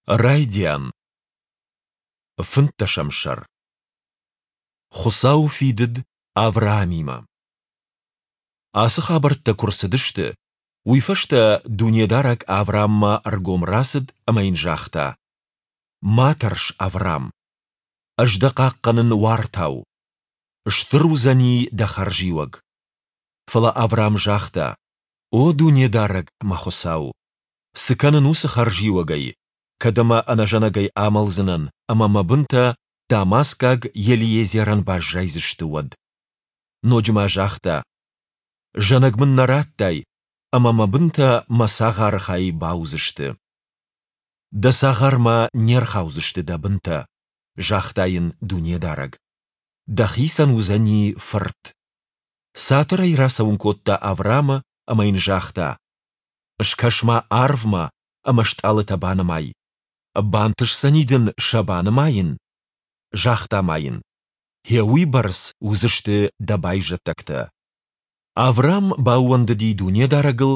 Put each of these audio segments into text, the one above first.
Райдиан. Фынддӕсӕм сӕр. Хуыцауы фидыд Авраамимӕ. Ацы хабӕрттӕ куы рцыдысты, уый фӕстӕ Дунедарӕг Аврааммӕ ӕргом рацыд ӕмӕ йын загъта: Ма тӕрс, Авраам. Ӕз дӕ хъахъхъӕнын уартау. Стыр уыдзӕни дӕ хӕрзиуӕг. Фӕлӕ Авраам загъта: О Дунедарӕг, мӕ Хуыцау! Цы кӕнын уыцы хӕрзиуӕгӕй, кӕд ӕмӕ ӕнӕзӕнӕгӕй амӕлдзынӕн ӕмӕ мӕ бынтӕ дамаскаг Елиезерӕн баззайдзысты, уӕд? Ноджы ма загъта: Зӕнӕг мын нӕ радтай, ӕмӕ мӕ бынтӕ мӕ цагъары хай бауыдзысты. Дӕ цагъармӕ не рхаудзысты дӕ бынтӕ, загъта йын Дунедарӕг. Дӕхицӕн уыдзӕни фырт. Цатырӕй рацӕуын кодта Авраамы ӕмӕ йын загъта: Скӕс-ма арвмӕ ӕмӕ стъалытӕ банымай. Бантысдзӕни дын сӕ банымайын? Загъта ма йын: Гъе уыйбӕрц уыдзысты дӕ байзӕддӕгтӕ. Авраам баууӕндыди Дунедарӕгыл,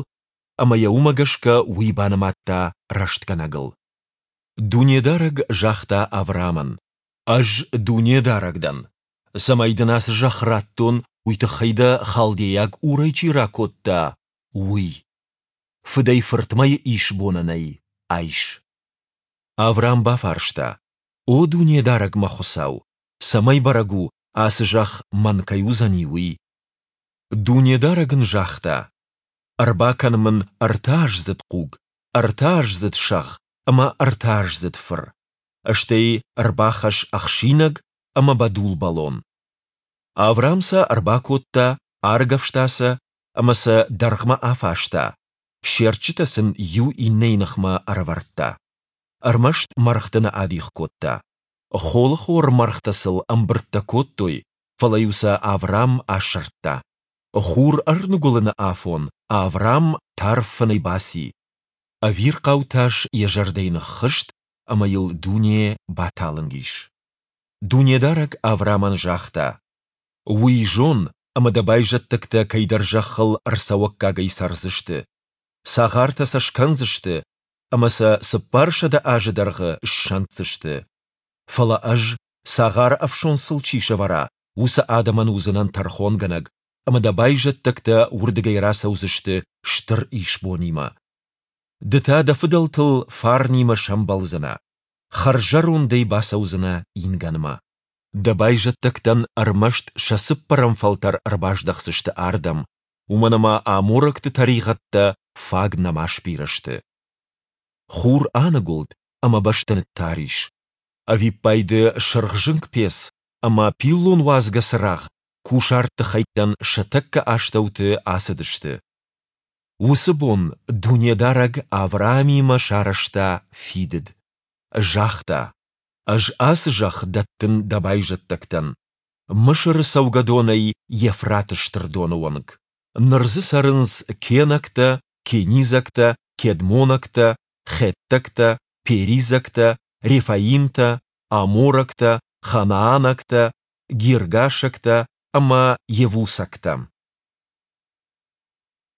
ӕмӕ йӕ уымӕ гӕсгӕ уый банымадта рӕстгӕнӕгыл. Дунедарӕг загъта Авраамӕн: Ӕз Дунедарӕг дӕн. Цӕмӕй дын ацы зӕхх радтон, уый тыххӕй дӕ халдейаг Урӕй чи ракодта, уый. Фыдӕй-фыртмӕйы исбонӕн ӕй айс. Авраам бафарста: О Дунедарӕг мӕ Хуыцау, цӕмӕй бӕрӕг у, ацы зӕхх мӕн кӕй уыдзӕни, уый? Дунедарӕг ын загъта: Ӕрбакӕн мын ӕртӕаздзыд хъуг, ӕртӕаздзыд сӕгъ ӕмӕ ӕртӕаздзыд фыр, стӕй ӕрбахӕсс ӕхсинӕг ӕмӕ бӕдул бӕлон. Авраам сӕ ӕрбакодта, аргӕвста сӕ ӕмӕ сӕ дӕргъмӕ афаста, се рчъитӕ сын иу иннӕйы ныхмӕ ӕрӕвӕрдта. Ӕрмӕст мӕргъты нӕ адих кодта. Холыхор мӕргътӕ сыл ӕмбырдтӕ кодтой, фӕлӕ-иу сӕ Авраам асырдта. Хур ӕрныгуылыны афон Авраам тарф фынӕй баци. Ӕвирхъау тас йӕ зӕрдӕйы ныххызт ӕмӕ йыл дуне баталынг ис. Дунедарӕг Авраамӕн загъта: Уый зон, ӕмӕ дӕ байзӕддӕгтӕ кӕйдӕр зӕххыл ӕрцӕуӕггагӕй цӕрдзысты. Цагъартӕ сӕ скӕндзысты ӕмӕ сӕ 400 азы дӕргъы ссӕнддзысты. Фӕлӕ ӕз, цагъары ӕфсон сыл чи сӕвӕра, уыцы адӕмӕн уыдзынӕн тӕрхонгӕнӕг, ӕмӕ дӕ байзӕддӕгтӕ уырдыгӕй рацӕудзысты стыр исбонимӕ. Ды та дӕ фыдӕлтыл фарнимӕ сӕмбӕлдзынӕ, хӕрззӕрондӕй бацӕудзынӕ ингӕнмӕ. Дӕ байзӕддӕгтӕн ӕрмӕст сӕ цыппӕрӕм фӕлтӕр ӕрбаздӕхдзысты ардӕм, уымӕн ӕмӕ аморӕгты тӕригъӕдтӕ фаг нӕма сбирӕ сты. Хур аныгуылд ӕмӕ бӕстӕ ныттар ис. Ӕвиппайды сырхзынг пец ӕмӕ пиллон уадзгӕ цырагъ кусӕртты хӕйттӕн сӕ тӕккӕ астӕуты ацыдысты. Уыцы бон Дунедарӕг Авраамимӕ сарӕзта фидыд. Загъта: Ӕз ацы зӕхх дӕттын дӕ байзӕддӕгтӕн, Мысыры цӕугӕдонӕй Евфраты стыр доны онг. Ныр дзы цӕрынц кенӕгтӕ, кенизӕгтӕ, кедмонӕгтӕ, хеттӕгтӕ, перизӕгтӕ, рефаимтӕ, аморӕгтӕ, ханаанӕгтӕ, гиргашӕгтӕ ӕмӕ йевусӕгтӕ.